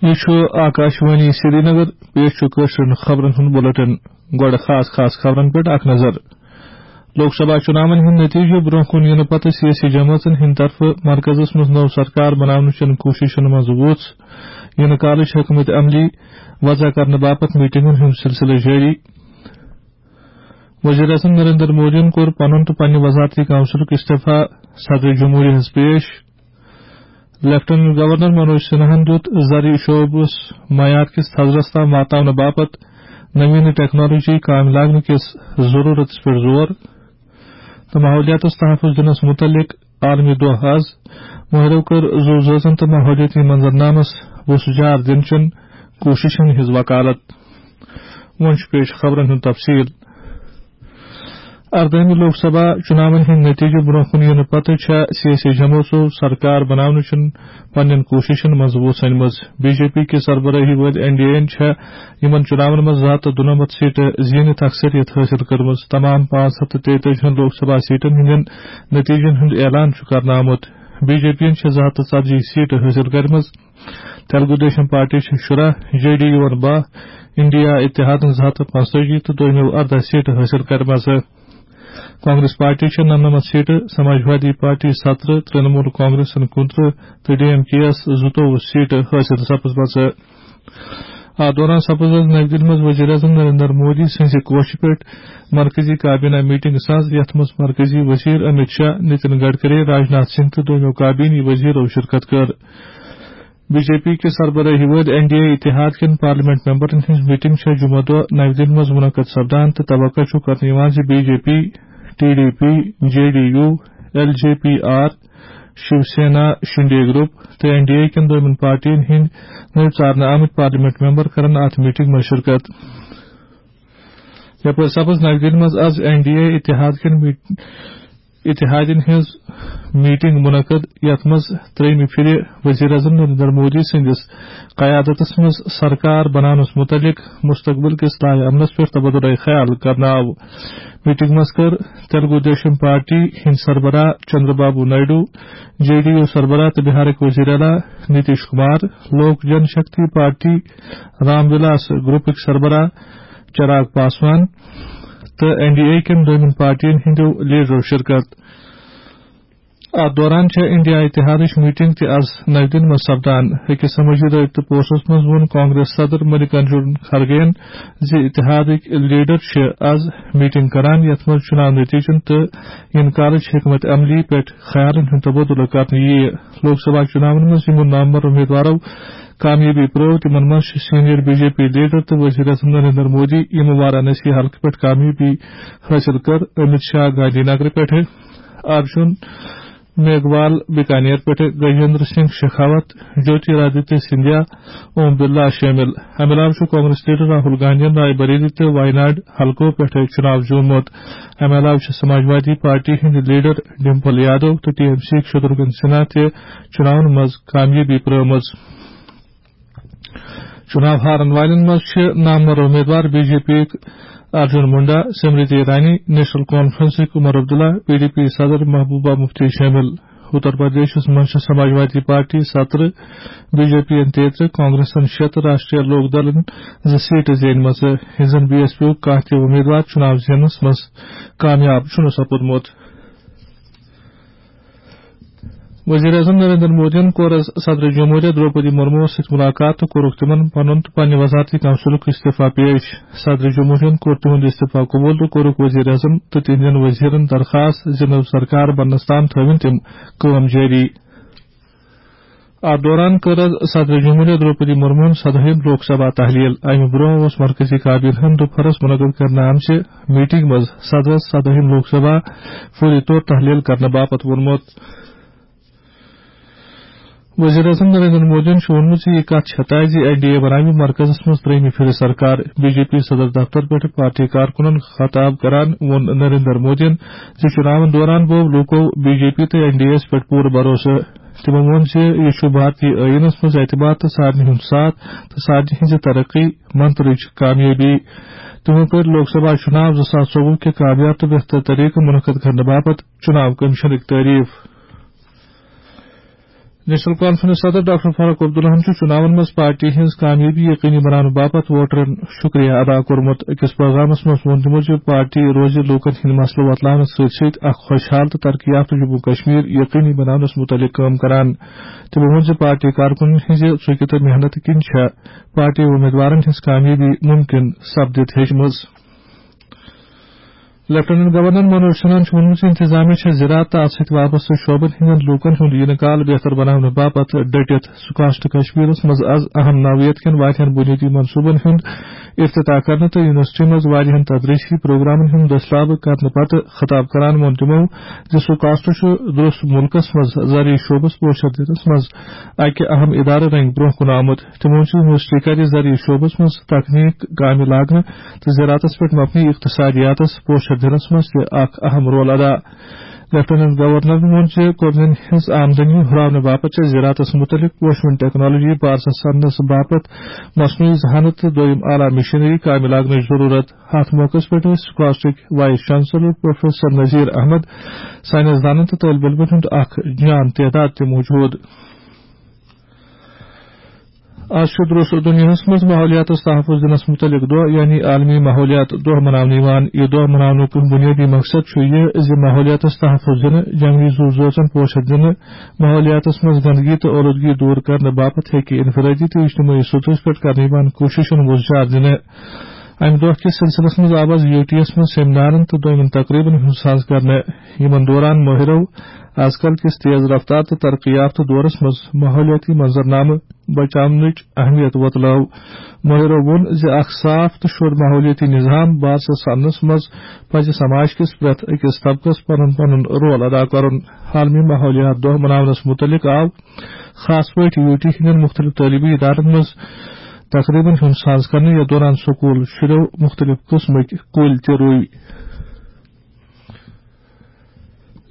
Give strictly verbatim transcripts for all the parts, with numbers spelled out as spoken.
یہِ چھُ آکاشوانی سرینگر، پیش چھُ کٲشرٮ۪ن خبرن ہُنٛد بُلٹن۔ گۄڈٕ خاص خاص خبرن پٮ۪ٹھ اکھ نظر۔ لوک سبھا چُناون ہٕنٛدۍ نتیجہٕ برٛونٛہہ کُن یِنہٕ پتہٕ سیٲسی جمٲژن ہٕنٛدِ طرفہٕ مرکزس منٛز نٔو سرکار بناونہٕ چٮ۪ن کوٗششن منٛز وُژھ۔ یِنہٕ کالٕچ حکمت عملی وضع کرنہٕ باپتھ میٹنگن ہُنٛد سلسلہٕ جٲری۔ وزیر اعظم نریندر مودیَن کوٚر پنُن تہٕ پننہِ وزارتی کونسلُک استعفیٰ صدر جمہوریہَس پیش۔ لیفٹیننٹ گورنر منوج سنہاہَن دیُت زرعی شعبس معیار کِس تھزرس تام واتناونہٕ باپتھ نوین ٹیکنالوجی کامہِ لاگنہٕ کِس ضروٗرتس پٮ۪ٹھ زور۔ تہٕ ماحولیاتس تحفظ دِنس مُتعلق عالمی دۄہ آز۔ مٲہرو کٔر زُو زٲژن تہٕ ماحولیٲتی منظرنامس وُژھ جار دِنہٕ چٮ۪ن کوٗششن ہٕنٛز وکالت۔ وۄنۍ چھُ پیش خبرن ہُنٛد تفصیل۔ اردٲہمہِ لوک سبھا چُناون ہٕنٛدۍ نتیجہٕ برٛونٛہہ کُن یِنہٕ پتہٕ چھےٚ سیٲسی جمٲژو سرکار بناونہٕ چٮ۪ن پننٮ۪ن کوٗششن منٛز وُژھ أنمٕژ۔ بی جے پی کہِ سربرٲہی وٲلۍ این ڈی اے یَن چھےٚ یِمن چُناون منٛز زٕ ہتھ تہٕ دُنَمَتھ سیٹہٕ زیٖنِتھ اکثریت حٲصِل کٔرمٕژ۔ تمام پانٛژھ ہتھ تہٕ تیٚتٲجی ہن لوک سبھا سیٹن ہٕنٛدٮ۪ن نتیجن ہُنٛد اعلان چھُ کرنہٕ آمُت۔ بی جے پی یَن چھےٚ زٕ ہتھ تہٕ ژتجی سیٹہٕ حٲصِل کٔرمٕژ۔ تیلگو دیشم پارٹی چھِ شُراہ، جے ڈی یوٗ بَہہ، انڈیا اتحادن زٕ ہتھ تہٕ پانٛژتٲجی تہٕ دوٚیمٮ۪و ارداہ سیٹہٕ حٲصِل کٔرمٕژ۔ کانگریس پارٹی چھےٚ نَمنَمَتھ سیٹہٕ، سماجوادی پارٹی سترٕہ، ترٛنمول کانگریسن کُنترٕہ تہٕ ڈی ایم کے یَس زٕتووُہ سیٹہٕ حٲصِل سپٕزمژٕ۔ اتھ دوران سپٕز آز نَوِ دِلہِ منٛز وزیر اعظم نریندر مودی سٕنٛزِ کوشہِ پٮ۪ٹھ مرکزی کابینہ میٹنگ ساز، یَتھ منٛز مرکزی وزیر امت شاہ، نتن گڈکری، راجناتھ سنگھ تہٕ دوٚیمٮ۪و کابینی وزیرو شرکت کٔر۔ بی جے پی کہِ سربرٲہی وٲلۍ این ڈی اے اتحاد کٮ۪ن پارلیمنٹ ممبرن ہٕنٛز میٹنگ چھےٚ جمعہ دۄہ نَوِ دِلہِ منٛز منعقد سپدان تہٕ توقع چھُ کرنہٕ یِوان زِ B J P, T D P, J D U, L J P R, Shiv Sena, Shinde group تہٕ این ڈی اے کٮ۪ن دوٚیمٮ۪ن پارٹین ہٕنٛدۍ نٔوۍ ژارنہٕ آمٕتۍ پارلیمنٹ ممبر کرن اتھ میٹنگ منٛز شرکت۔ یپٲرۍ سپٕز نَوِ دِلہِ منٛز از این ڈی اے اتحاد کٮ۪ن میٹ-، اتحادین ہٕنٛز میٹنگ منعقد، یتھ منٛز ترٛیٚیمہِ پھرِ وزیر اعظم نریندر مودی سٕنٛدِس قیادتس منٛز سرکار بناونس متعلق مستقبل کِس لایحہ عملس پٮ۪ٹھ تبادلہ خیال کرنہٕ آو۔ میٹنگ منٛز کٔر تیلگو دیشم پارٹی ہٕنٛدۍ سربراہ Chandra Babu Naidu, J D U سربراہ تہٕ بہارٕکۍ وزیر اعلیٰ نیتیش کمار، لوک جن شکتی پارٹی رام ولاس گروپٕکۍ سربراہ چراغ پاسوان تہٕ این ڈی اے کٮ۪ن دوٚیمٮ۪ن پارٹین ہٕنٛدیو لیڈرو شرکت۔ اتھ دوران چھےٚ انڈیا اتحادٕچ میٹنگ تہِ از نَوِ دِلہِ منٛز سپدان۔ أکِس سمٲجی رٲبطہٕ پوسٹس منٛز ووٚن کانگریس صدر ملکارجن کھرگے یَن زِ اتحادٕکۍ لیڈر چھِ از میٹنگ کران، یتھ منٛز چُناو نتیجن تہٕ یِنہٕ کالٕچ حکمت عملی پٮ۪ٹھ خیالن ہُنٛد تبادلہٕ کرنہٕ یِیہِ۔ لوک سبھا چُناون منٛز یِمو نامور امیدوارو کامیٲبی پرٲو، تِمن منٛز چھِ senior B J P leader تہٕ وزیر اعظم نریندر مودی، یِمو وارانسی حلقہٕ پٮ۪ٹھ کامیٲبی حٲصِل کٔر، امت شاہ گاندھی نگر پٮ۪ٹھٕ، ارجُن میگھوال بیکانیر پٮ۪ٹھٕ، گجیندر سنگھ شیخاوت، جیوتی رادتیہ سندھیا، اوم برلا شٲمِل۔ امہِ علاوٕ چھُ کانگریس لیڈر راہل گاندھین رائے بریلی تہٕ وایناڈ حلقو پٮ۪ٹھٕ چُناو زیوٗنمُت۔ امہِ علاوٕ چھِ سماجوادی پارٹی ہٕنٛدۍ لیڈر ڈمپل یادو تہٕ ٹی ایم سی یِکۍ شتروگھن سنہا تہِ چُناون منٛز کامیٲبی پرٲومٕژ۔ چُناو ہارن والٮ۪ن منٛز چھِ نامور امیدوار بی جے پی یِکۍ ارجُن مُنڈا، سمرتی ایرانی، نیشنل کانفرنسٕکۍ Omar Abdullah, P D P صدر محبوبہ مفتی شٲمِل۔ اتر پردیشس منٛز چھِ سماجوادی پارٹی سترٕہ، بی جے پی یَن تیترٕہ، کانگریسن شےٚ تہٕ راشٹریہ لوک دلن زٕ سیٹہٕ زینمژٕ، ییٚلہِ زن بی ایس پی یُک کانٛہہ تہِ امیدوار چُناو زیننس منٛز کامیاب چھُنہٕ سپُدمُت۔ وزیر اعظم نریندر مودیَن کوٚر از صدر جمہوریہ درٛوپدی مرموَس سۭتۍ مُلاقات تہٕ کوٚرُکھ تِمَن پنُن تہٕ پننہِ وزارتی کونسلُک استعفیٰ پیش۔ صدر جمہوریہَن کوٚر تِہُنٛد استعفیٰ قبول تہٕ کوٚرُکھ وزیر اعظم تہٕ تِہنٛدٮ۪ن وزیرن درخاست زِ نٔو سرکار بننَس تام تھٲوِن تِم کٲم جٲری۔ اتھ دوران کٔر از صدر جمہوریہ درٛوپدی مرموہن سدٲہِم لوک سبھا تحلیل۔ امہِ برونٛہہ اوس مرکزی کابینہن دوپہرس منعقد کرنہٕ آمژِ میٹنگ منٛز صدرس سدٲہِم لوک سبھا فوری طور تحلیل کرنہٕ باپتھ ووٚنمُت۔ وزیر اعظم نریندر مودیَن چھُ ووٚنمُت زِ یہِ کتھ چھےٚ طے زِ این ڈی اے بناوِ مرکزس منٛز ترٛیٚیِمہِ پھِرِ سرکار۔ بی جے پی صدر دفتر پٮ۪ٹھ پارٹی کارکُنن خطاب کران ووٚن نریندر مودیَن زِ چُناون دوران بوو لوٗکو بی جے پی تہٕ این ڈی اے یَس پٮ۪ٹھ پوٗرٕ بھروسہٕ۔ تِمو ووٚن زِ یہِ چھُ بھارتی ٲییٖنَس منٛز اعتماد تہٕ سارنٕے ہُنٛد ساتھ تہٕ سارنٕے ہٕنٛزِ ترقی منترٕچ کامیٲبی۔ تِمو کٔر لوک سبھا چُناو زٕ ساس ژوٚوُہ کہِ کامیاب تہٕ بہتر طریقہٕ منعقد کرنہٕ باپتھ چُناو کمیشنٕکۍ تعریف۔ نیشنل کانفرنس صدر ڈاکٹر فاروق عبداللہن چھُ چُناون منٛز پارٹی ہٕنٛز کامیٲبی یقینی بناونہٕ باپتھ ووٹرن شُکریہ ادا کوٚرمُت۔ أکِس پیغامس منٛز ووٚن تِمو زِ پارٹی روزِ لوٗکن ہٕنٛدۍ مسلہٕ وۄتلاونس سۭتۍ سۭتۍ اکھ خۄشحال تہٕ ترقی یافتہٕ جموں کشمیر یقینی بناونس مُتعلق کٲم کران۔ تِمو ووٚن زِ پارٹی کارکُنن ہٕنٛزِ ژُکہِ تہٕ محنتہٕ کِنۍ چھےٚ پارٹی اُمیدوارن ہٕنٛز کامیٲبی مُمکِن سپدِتھ ہیٚچمٕژ۔ لیفٹیننٹ گورنر منوج سنہاہن چھُ ووٚنمُت زِ انتظامیہ چھےٚ زراعت تہٕ اتھ سۭتۍ وابستہٕ شعبن ہٕنٛدٮ۪ن لوٗکن ہُنٛد یِنہٕ کال بہتر بناونہٕ باپتھ ڈٔٹِتھ۔ سُہ کاسٹ کشمیرس منٛز از اہم نوعیت کٮ۪ن واریاہن بُنیٲدی منصوبن ہُنٛد افتتاح کرنہٕ تہٕ یونیورسٹی منٛز واریاہن تدریسی پروگرامن ہُنٛد دٔسلابہٕ کرنہٕ پتہٕ خطاب کران ووٚن تِمو زِ سُہ کاسٹ چھُ درست مُلکس منٛز زرعی شعبس پوچھر دِنس منٛز اکہِ اہم ادارٕ رنگۍ برونٛہہ کُن آمُت۔ تِمو چھُ یونیورسٹی کرِ زرعی شعبس منٛز تکنیک کامہِ لاگنہٕ تہٕ زراعتس پٮ۪ٹھ مبنی اقتصادیاتس پوچھر دِنس منٛز تہِ اکھ اہم رول ادا۔ لیفٹیننٹ گورنرن ووٚن زِ قومین ہٕنٛز آمدنی ہُراونہٕ باپتھ چھےٚ زراعتس مُتعلق پوشوٕنۍ ٹیکنالوجی بارسس اننس باپتھ مصنوعی ذہانت تہٕ دوٚیم اعلیٰ مشینری کامہِ لاگنٕچ ضروٗرت۔ اتھ موقعس پٮ۪ٹھ ٲسۍ سکاسٹٕکۍ vice chancellor professor Nazir Ahmad, سائنسدانن تہٕ طٲلب علمن ہُنٛد اکھ جان تعداد تہِ موجود۔ آز چھُ درست دُنیاہَس منٛز ماحولیاتَس تحفظ دِنَس مُتعلِق دۄہ، یعنی عالمی ماحولیات دۄہ مناونہٕ یِوان۔ یہِ دۄہ مناونُک بُنیٲدی مقصد چھُ یہِ زِ ماحولیاتَس تحفظ دِنہٕ، جنگلی زُو زٲژَن پوشَر دِنہٕ، ماحولیاتَس منٛز گندگی تہٕ اولوٗدگی دوٗر کرنہٕ باپتھ ہیٚکہِ انفرادی تہٕ اجتمٲعی سطحَس پٮ۪ٹھ کرنہٕ یِوان کوٗششَن وُژھ جار دِنہٕ۔ اَمہِ دۄہ کِس سلسلس منٛز آو آز یوٗ ٹی یَس منٛز سیمینارَن تہٕ دوٚیمٮ۪ن تقریٖبَن ہُنٛد ساز کرنہٕ۔ یِمَن دوران مٲہِرَو آز کل کِس تیز رفتار تہٕ ترقی یافتہٕ دورس منٛز ماحولیاتی منظرنامہٕ بچاونٕچ اہمیت وۄتلٲو۔ مٲہِرو ووٚن زِ اکھ صاف تہٕ شوٚد ماحولیاتی نظام بارسس اننس منٛز پزِ سماج کِس پرٛٮ۪تھ أکِس طبقس پنُن پنُن رول ادا کرُن۔ عالمی ماحولیات دۄہ مناونس مُتعلق آو خاص پٲٹھۍ یوٗ ٹی ہٕنٛدٮ۪ن مُختٔلِف تعلیٖمی ادارن منٛز تقریٖبن ہُنٛد ساز کرنہٕ، یتھ دوران سکوٗل شُرٮ۪و مُختٔلِف قٕسمٕکۍ کُلۍ تہِ رُوۍ۔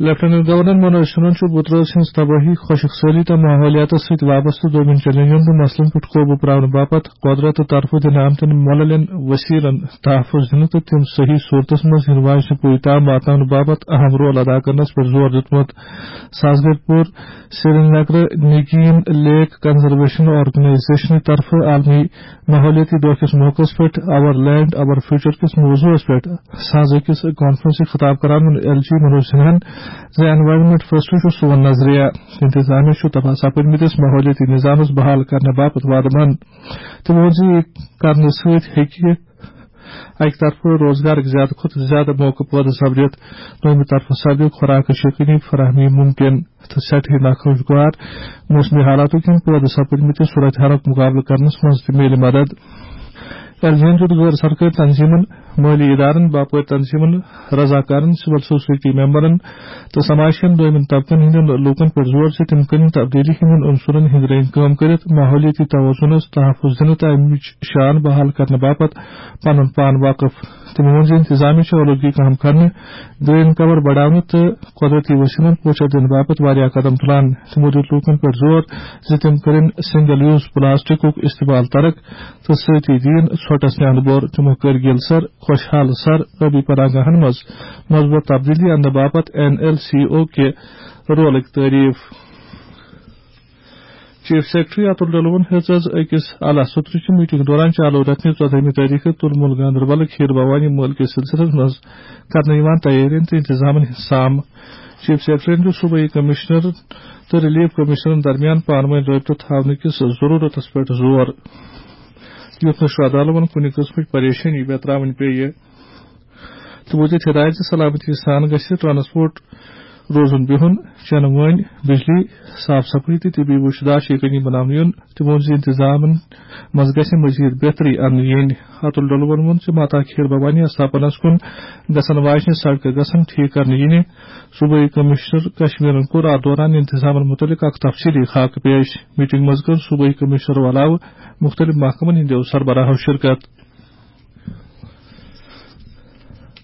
لیفٹیننٹ گورنر منوج سنہن چھُ بُترٲژ ہٕنٛز تبٲہی، خۄشک سٲلی تہٕ ماحولیاتس سۭتۍ وابستہٕ دوٚیمٮ۪ن چیلنجن تہٕ مسلن پٮ۪ٹھ قوبوٗ پراونہٕ باپتھ قۄدرت تہٕ طرفہٕ دِنہٕ آمتٮ۪ن مۄللٮ۪ن وسیلن تحفظ دِنہٕ تہٕ تِم صحیح صورتس منٛز یِنہٕ واجنہِ پُیہِ تام واتناونہٕ باپتھ اہم رول ادا کرنس پٮ۪ٹھ زور دیُتمُت۔ ساز گرِ پوٗر سرینگر نگین لیک کنزرویشن آرگنائزیشن طرفہٕ عالمی ماحولیاتی دۄہ کِس موقعس پٮ۪ٹھ آور لینڈ آور فیوچر کِس موضوعس پٮ۪ٹھ ساز أکِس کانفرنسہِ خطاب کران ووٚن ایل جی منوج سنہن زِ انوائرمنٹ فرسٹ چھُ سون نظریہ۔ انتظامیہ چھُ تباہ سپدمٕتِس ماحولیاتی نظامس بحال کرنہٕ باپتھ وعدٕ مند۔ تٔمۍ ووٚن زِ یہِ کرنہٕ سۭتۍ ہیٚکہِ اَکہِ طرفہٕ روزگارٕکۍ زیادٕ کھۄتہٕ زیادٕ موقعہٕ پٲدٕ سپدِتھ، دوٚیمہِ طرفہٕ سپدِ خوراکٕچ یقینی فراہمی مُمکِن تہٕ سٮ۪ٹھٕے ناخوشگوار موسمی حالاتو کِنۍ پٲدٕ سپٕدمٕتِس صورتحالُک مُقابلہٕ کرنس منٛز تہِ میلہِ مدد۔ ایل جی یَن دیُت غٲر سرکٲرۍ تنظیمن، مٲلی ادارن، باپٲرۍ تنظیمن، رضاکارن، سول سوسائٹی ممبرن تہٕ سماج کٮ۪ن دوٚیمٮ۪ن طبقن ہٕنٛدٮ۪ن لوٗکن پٮ۪ٹھ زور زِ تِم کٔرِن تبدیلی ہٕنٛدٮ۪ن عنصرن ہٕنٛدۍ رٔنگۍ کٲم کٔرِتھ ماحولیٲتی توازنس تحفظ دِنہٕ تہٕ امِچ شان بحال کرنہٕ باپتھ پنُن پان وقف۔ تٔمۍ ووٚن زِ انتظامیہ چھُ اولوٗدگی کم کرنہٕ، گرین کور بڑاونہٕ تہٕ قۄدرتی وسیلن پوچھر دِنہٕ باپتھ واریاہ قدم تُلان۔ تِمو دیُت لوٗکن پٮ۪ٹھ زور زِ تِم کٔرِن سنگل یوز پلاسٹکُک استعمال ترک تہٕ سۭتی دِیِن ژھۄٹس نیاند بور۔ تِمو کٔر گِل سر، خۄشحال سر، ٲبی پناہگاہن منٛز مثبت تبدیلی اننہٕ باپتھ این ایل سی او کہِ رولٕکۍ تعریف۔ چیف سیکرٹری اتُل ڈولون ہیٚژ از أکِس اعلیٰ سطرٕچہِ میٹنگ دوران چالو رٮ۪تہٕ نہِ ژۄدہمہِ تٲریخہٕ تُل مُل گاندربلٕکۍ کھیٖر بھوانی مٲلہٕ کِس سلسلس منٛز کرنہٕ یِوان تیٲرین تہٕ انتظامن ہُنٛد سام۔ چیف سیکرٹریَن دیُت صوبٲیی کمشنر تہٕ ریلیف کمشنرن درمیان پانہٕ وٲنۍ رٲبطہٕ تھاونہٕ کِس ضروٗرتس پٮ۪ٹھ زور، یُتھ نہٕ شرٛدھالوَن کُنہِ قٕسمٕچ پریشٲنی ویتراوٕنۍ پیٚیہِ۔ تِمو دِتۍ ہدایت زِ سلامتی سان گژھِ ٹرانسپورٹ روزُن بِہُن، چٮ۪نہٕ وٲنۍ، بجلی، صاف صفٲیی تہٕ طبی وُچھ داشت یقینی بناونہٕ یُن۔ تِمو ووٚن زِ انتظامن منٛز گژھِ مزید بہتری اننہٕ یِنۍ۔ اتُل ڈولون ووٚن زِ ماتا کھیٖر بھوانی آستھاپنس کُن گژھن واجنہِ سڑکہٕ گژھن ٹھیک کرنہٕ یِنہِ۔ صوبٲیی کمشنر کشمیرن کوٚر اتھ دوران انتظامن متعلق اکھ تفصیلی خاکہٕ پیش۔ میٹنگ منٛز کٔر صوبٲیی کمشنرو علاوٕ مُختٔلِف محکمن ہٕنٛدیو سربراہو شرکت۔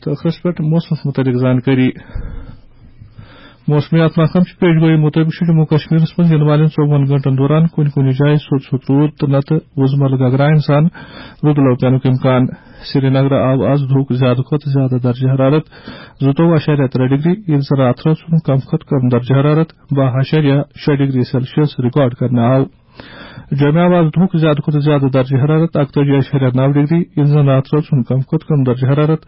تہٕ ٲخرس پٮ۪ٹھ موسمس متعلق زانکٲری۔ موسمیات محکمہٕ چہِ پیش گویی مُطٲبِق چھُ جموں کشمیرس منٛز یِنہٕ والٮ۪ن ژوٚوُہن گٲنٛٹن دوران کُنہِ کُنہِ جایہِ سوٚت سوٚت روٗد تہٕ نتہٕ وُزملہٕ گگراین سان رُدٕ لو پینُک امکان۔ سرینگرٕ آو آز دُہُک زیادٕ کھۄتہٕ زیادٕ درجہ حرارت زٕتووُہ اَشاریہ ترٛےٚ ڈگری، ییٚلہِ زن راتھرٲژ ہُنٛد کم کھۄتہٕ کم درجہ حرارت باہ اَشاریہ شےٚ ڈگری سیلسیس ریکارڈ کرنہٕ آو۔ جوٚمہِ آو آز دُہُک زیادٕ کھۄتہٕ زیادٕ درجہ حرارت اَکتٲجی اَشاریہ نَو ڈگری، ییٚلہِ زن راتھرٲژ ہُنٛد کم کھۄتہٕ کم درجہ حرارت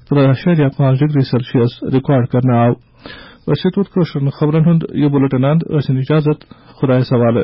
ترٛےٚ اَشاریہ پانٛژھ ڈگری سیلسیس ریکارڈ کرنہٕ آو۔ أسۍ چھِ تُہُنٛد کٲشرٮ۪ن خبرن ہُنٛد یہِ بُلٹن اند۔ ٲسِن اجازت، خۄدایس حوالہٕ۔